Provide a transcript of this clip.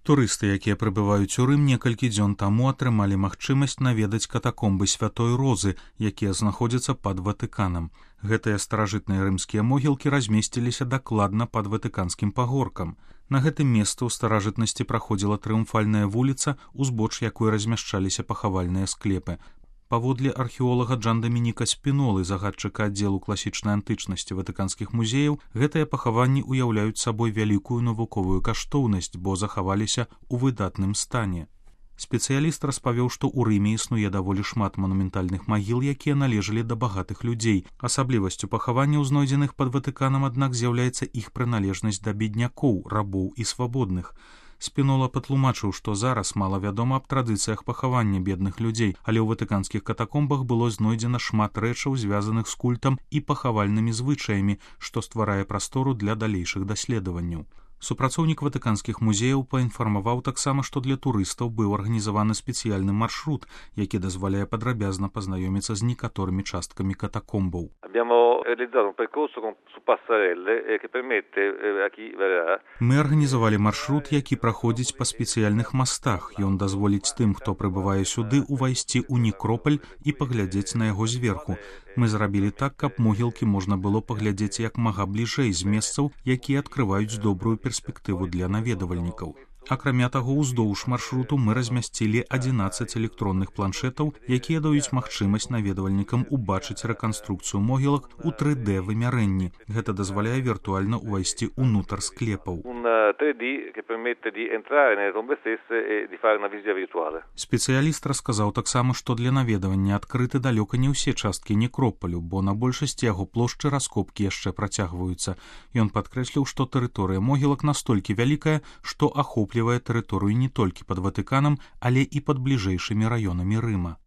Турысты, якія прыбываюць у Рым, некалькі дзён таму атрымалі магчымасць наведаць катакомбы Святой Розы, якія знаходзяцца пад Ватыканам. Гэтыя старажытныя рымскія могілкі размесціліся дакладна пад ватыканскім пагоркам. На гэтым месцы ў старажытнасці праходзіла трыумфальная вуліца, узбоч якой размяшчаліся пахавальныя склепы. Паводле археолага Джан-Дамініка Спінолы, загадчыка аддзелу класічнай антычнасці ватыканскіх музеяў, гэтыя пахаванні ўяўляюць сабой вялікую навуковую каштоўнасць, бо захаваліся ў выдатным стане. Спецыяліст распавёў, што ў Рыме існуе даволі шмат манументальных магіл, якія належалі да багатых людзей. Асаблівасцю пахаванняў, знойдзеных пад Ватыканам, аднак з'яўляецца іх прыналежнасць да беднякоў, рабоў і свабодных. Спінола патлумачыў, што зараз мала вядома аб традыцыях пахавання бедных людзей, але ў ватыканскіх катакомбах было знойдзена шмат рэчаў, звязаных з культам і пахавальнымі звычаямі, што стварае прастору для далейшых даследаванняў. Супрацоўнік ватыканскіх музеяў паінфармаваў таксама, што для турыстаў быў арганізаваны спецыяльны маршрут, які дазваляе падрабязна пазнаёміцца з некаторымі часткамі катакомбаў. Мы арганізавалі маршрут, які праходзіць па спецыяльных мастах. Ён дазволіць тым, хто прыбывае сюды, увайсці ў некропаль і паглядзець на яго зверху. Мы зрабілі так, каб могілкі можна было паглядзець як мага бліжэй з месцаў, якія адкрываюць добрую перспектыву для наведавальнікаў. Акрамя таго, уздоўж маршруту мы размясцілі 11 электронных планшетаў, якія даюць магчымасць наведавальнікам убачыць рэканструкцыю могілак у 3D-вымярэнні. Гэта дазваляе віртуальна ўвайсці ўнутр склепаў. Спецыяліст расказаў таксама, што для наведавання адкрыты далёка не ўсе часткі некропалю, бо на большасці яго плошчы раскопкі яшчэ працягваюцца. Ён падкрэсліў, што тэрыторыя могілак настолькі вялікая, што ахоплівае тэрыторыю не толькі пад Ватыканам, але і пад бліжэйшымі раёнамі Рыма.